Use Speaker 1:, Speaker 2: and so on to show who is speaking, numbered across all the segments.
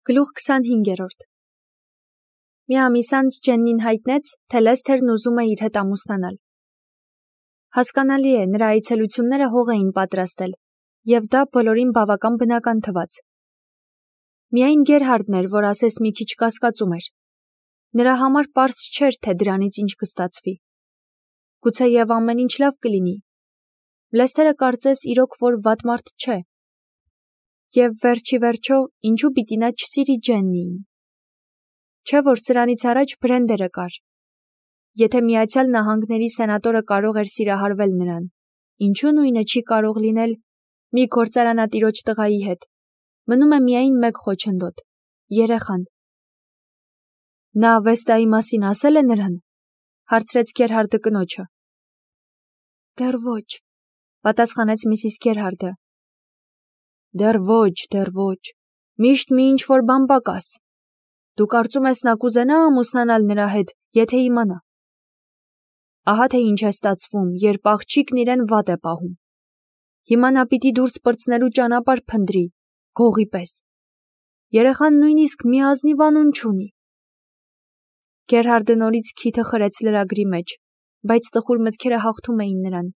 Speaker 1: Գլուխ 25-րդ Մի ամիս անց Ջեննին հայտնեց, թե Լեսթերն ուզում է իր հետ ամուսնանալ։ Հասկանալի է, նրա այցելությունները հող էին պատրաստել, և դա բոլորին բավական բնական թվաց։ Միայն Գերհարդն էր, որ ասես մի քիչ կասկածում էր։ Նրա համար պարզ չէր, թե դրանից ինչ կստացվի։ Գուցեև ամեն ինչ լավ կլինի։ Լեսթերը կարծես իրոք որ վատ մարդ չէ։ Եվ վերջի վերջո, ինչու պիտի նա չսիրի Ջեննիին։ Չէ՞ որ սրանից առաջ Բրենդերը կար։ Եթե Միացյալ Նահանգների սենատորը կարող էր սիրահարվել նրան, ինչու նույնը չի կարող լինել մի գործարանատիրոջ տղայի հետ։ Մնում է միայն մեկ խոչընդոտ՝ երեխան։ Նա Վեստայի մասին ասել է նրան, հարցրեց Գերհարդը կնոջը։ Դեռ ոչ, պատասխանեց Միսիս Գերհարդը։ Դեռ ոչ, միշտ մի ինչ-որ բան պակաս։ Դու կարծում ես նա կուզենա ամուսնանալ նրա հետ, եթե իմանա։ Ահա թե ինչ է ստացվում, երբ աղջիկն իրեն վատ է պահում։ Հիմա նա պիտի դուրս պրծնելու ճանապարհ փնտրի, գողի պես։ Երեխան նույնիսկ մի ազնիվ անուն չունի։ Գերհարդը նորից քիթը խրեց լրագրի մեջ, բայց տխուր մտքերը հաղթում էին նրան։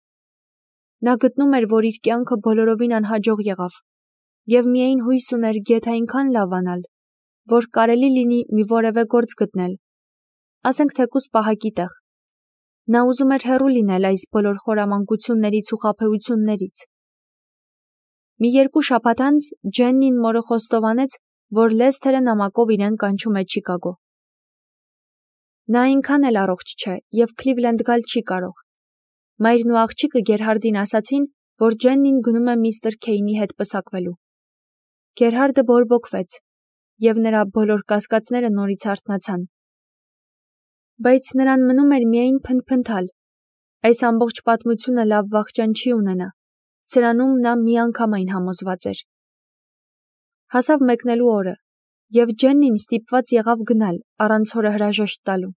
Speaker 1: Նա գտնում էր, որ իր կյանքը բոլորովին անհաջող եղավ, և միայն հույս ուներ գեթ այնքան լավանալ, որ կարելի լինի մի որևէ գործ գտնել, ասենք թեկուզ պահակի տեղ։ Նա ուզում էր հեռու լինել այս բոլոր խորամանկություններից ու խաբեություններից։ Մի 2 շաբաթ անց Ջեննին մորը խոստովանեց, որ Լեսթերը նամակով իրեն կանչում է Չիկագո։ Նա այնքան էլ առողջ չէ և Քլիվլենդ գալ չի կարող։ Մայրն ու աղջիկը Գերհարդին ասացին, որ Ջեննին գնում է միստր Քեյնի հետ պսակվելու։ Գերհարդը բորբոքվեց, և նրա բոլոր կասկածները նորից արթնացան։ Բայց նրան մնում էր միայն փնթփնթալ։ Այս ամբողջ պատմությունը լավ վախճան չի ունենա։ Սրանում նա միանգամայն համոզված էր։ Հասավ մեկնելու օրը, և Ջեննին ստիպված եղավ գնալ, առանց հորը հրաժեշտ տալու։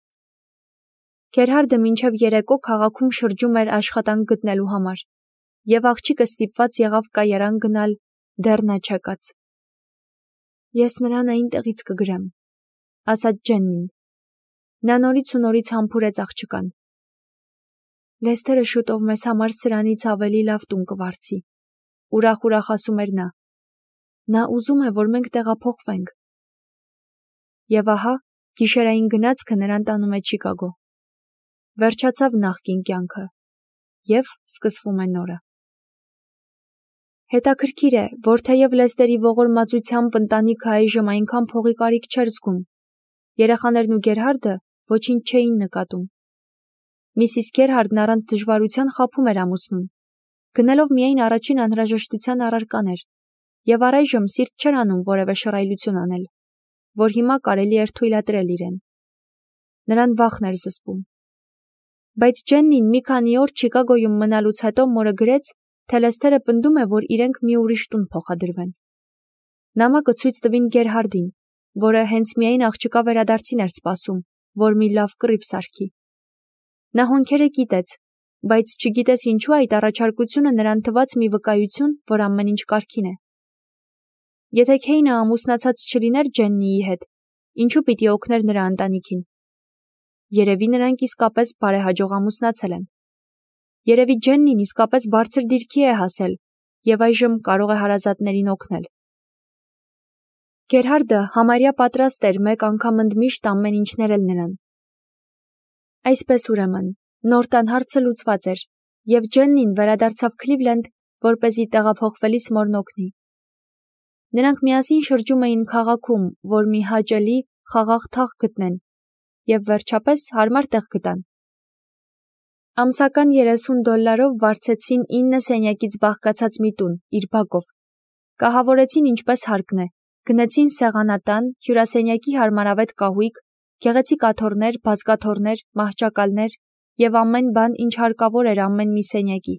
Speaker 1: Գերհարդը մինչև երեկո քաղաքում շրջում էր աշխատանք գտնելու համար, և աղջիկը ստիպված եղավ կայարան գնալ, դեռ նա չեկած։ Ես նրան այնտեղից կգրեմ, ասաց Ջեննին։ Նա նորից ու նորից համբուրեց աղջկան։ Լեսթերը շուտով մեզ համար սրանից ավելի լավ տուն կվարձի, ուրախ ասում էր նա։ Նա ուզում է, որ մենք տեղափոխվենք։ Եվ ահա, գիշերային գնացքը նրան տանում է Չիկագո։ Վերջացավ նախկին կյանքը, և սկսվում է նորը։ Հետաքրքիր է, որ թեև Լեսթերի ողորմածությամբ ընտանիքը այժմ այնքան փողի կարիք չէր զգում, երեխաներն ու Գերհարդը ոչինչ չէին նկատում։ Միսիս Գերհարդն առանց դժվարության խաբում էր ամուսնուն, գնելով միայն առաջին անհրաժեշտության առարկաներ, և առայժմ սիրտ չէր անում որևէ շռայլություն անել, որ հիմա կարելի էր թույլատրել իրեն։ Նրան վախն էր զսպում։ Բայց Ջեննին մի քանի օր Չիկագոյում մնալուց հետո մորը գրեց, թե Լեսթերը պնդում է, որ իրենք մի ուրիշ տուն փոխադրվեն։ Նամակը ցույց տվին Գերհարդին, որը հենց միայն աղջկա վերադարձին էր սպասում, որ մի լավ կռիվ սարքի։ Նա հոնքերը կիտեց, բայց չգիտես ինչու այդ առաջարկությունը նրան թվաց մի վկայություն, որ ամեն ինչ կարգին է։ Եթե Քեյնը ամուսնացած չլիներ Ջեննիի հետ, ինչու պիտի օգներ նրա ընտանիքին։ Երևի նրանք իսկապես բարեհաջող ամուսնացել են։ Երևի Ջեննին իսկապես բարձր դիրքի է հասել և այժմ կարող է հարազատներին օգնել։ Գերհարդը համարյա պատրաստ էր մեկ անգամ ընդմիշտ ամեն ինչ ներել նրան։ Այսպես ուրեմն, նոր տան հարցը լուծված էր, և Ջեննին վերադարձավ Քլիվլենդ, որպեսզի տեղափոխվելիս մորն օգնի։ Նրանք միասին շրջում էին քաղաքում, որ մի հաճելի, խաղաղ թաղ գտնեն, և վերջապես հարմար տեղ գտան։ Ամսական $30 վարձեցին 9 սենյակից բաղկացած մի տուն, իր բակով։ Կահավորեցին ինչպես հարկն է, գնեցին սեղանատան, հյուրասենյակի հարմարավետ կահույք, գեղեցիկ աթոռներ, բազկաթոռներ, մահճակալներ և ամեն բան, ինչ հարկավոր էր ամեն մի սենյակի։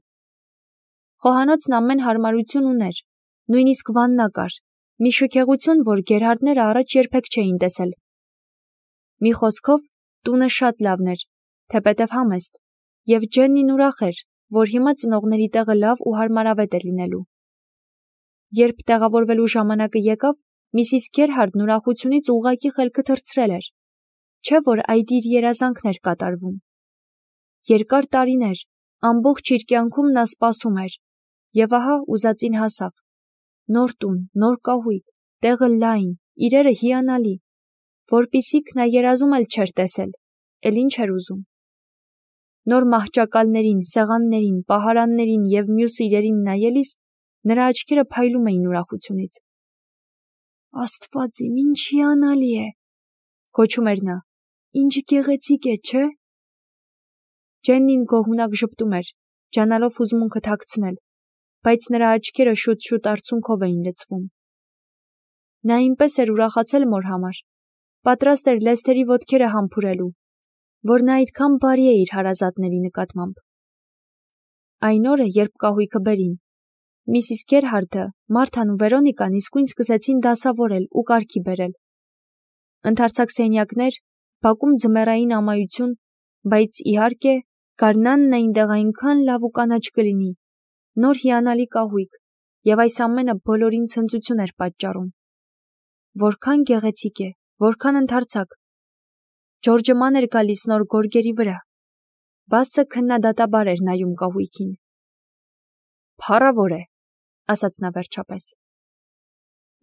Speaker 1: Խոհանոցն ամեն հարմարություն ուներ, նույնիսկ վաննա կար, մի շքեղություն, որ Գերհարդները առաջ երբեք չէին տեսել։ Մի խոսքով, տունը շատ լավն էր, թեպետև համեստ, և Ջեննին ուրախ էր, որ հիմա ծնողների տեղը լավ ու հարմարավետ է լինելու։ Երբ տեղավորվելու ժամանակը եկավ, Միսիս Գերհարդն ուրախությունից ուղղակի խելքը թռցրել էր, չէ՞ որ այդ իր երազանքն էր կատարվում։ Երկար տարիներ, ամբողջ իր կյանքում նա սպասում էր, և ահա ուզածին հասավ։ Նոր տուն, նոր կահույք, տեղը լայն, իրերը հիանալի, որպիսիք նա երազում էլ չէր տեսել, էլ ինչ էր ուզում։ Նոր մահճակալներին, սեղաններին, պահարաններին և մյուս իրերին նայելիս նրա աչքերը փայլում էին ուրախությունից։ Աստված իմ, ինչ հիանալի է, գոչում էր նա, ինչ գեղեցիկ է, չէ՞։ Ջեննին գոհունակ ժպտում էր, ջանալով հուզմունքը թաքցնել, բայց նրա աչքերը շուտ-շուտ արցունքով էին լցվում։ Նա այնպես էր ուրախացել մոր համար, պատրաստ էր Լեսթերի ոտքերը համբուրելու, որ նա այդքան բարի է իր հարազատների նկատմամբ։ Այն օրը, երբ կահույքը բերին, Միսիս Գերհարդը, Մարթան ու Վերոնիկան իսկույն սկսեցին դասավորել ու կարգի բերել։ Ընդարձակ սենյակներ, բակում ձմեռային ամայություն, բայց իհարկե, գարնանն այնտեղ այնքան լավ ու կանաչ կլինի, նոր հիանալի կահույք, և այս ամենը բոլորին ցնծություն էր պատճառում։ Որքան գեղեցիկ է, որքան ընդարձակ։ Ջորջը ման էր գալիս նոր գորգերի վրա։ Բասը քննադատաբար էր նայում կահույքին։ Փառավոր է, ասաց նա վերջապես։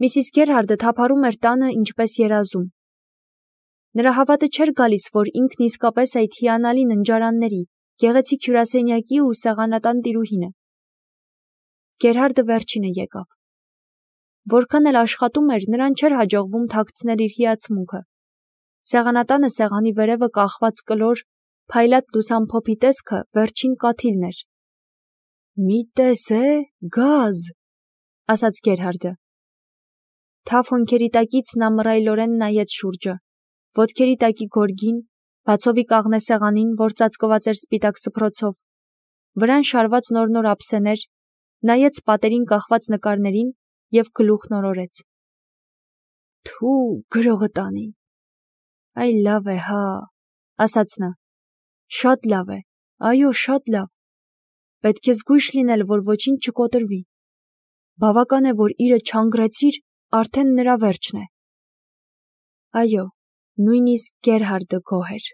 Speaker 1: Միսիս Գերհարդը թափառում էր տանը ինչպես երազում։ Նրա հավատը չէր գալիս, որ ինքն իսկապես այդ հիանալի ննջարանների, գեղեցիկ հյուրասենյակի ու սեղանատան տիրուհին է։ Գերհարդը վերջինը եկավ։ Որքան էլ աշխատում էր, նրան չէր հաջողվում թաքցնել իր հիացմունքը։ Սեղանատանը սեղանի վերևը կախված կլոր, փայլատ լուսամփոփի տեսքը վերջին կաթիլն էր։ Մի տես է, գազ, ասաց Գերհարդը։ Թավ հոնքերի տակից նա մռայլորեն նայեց շուրջը, ոտքերի տակի գորգին, բացովի կաղնե սեղանին, որ ծածկված էր սպիտակ սփռոցով, վրան շարված նոր ափսեներ, նայեց պատերին կախված նկարներին և գլուխն օրորեց։ Թու, գրողը տանի։ Այ լավ է, հա, ասաց նա։ Շատ լավ է, այո, շատ լավ։ Պետք է զգույշ լինել, որ ոչինչ չկոտրվի։ Բավական է, որ իրը չանգրեցիր, արդեն նրա վերջն է։ Այո, նույնիսկ Գերհարդը գոհ էր։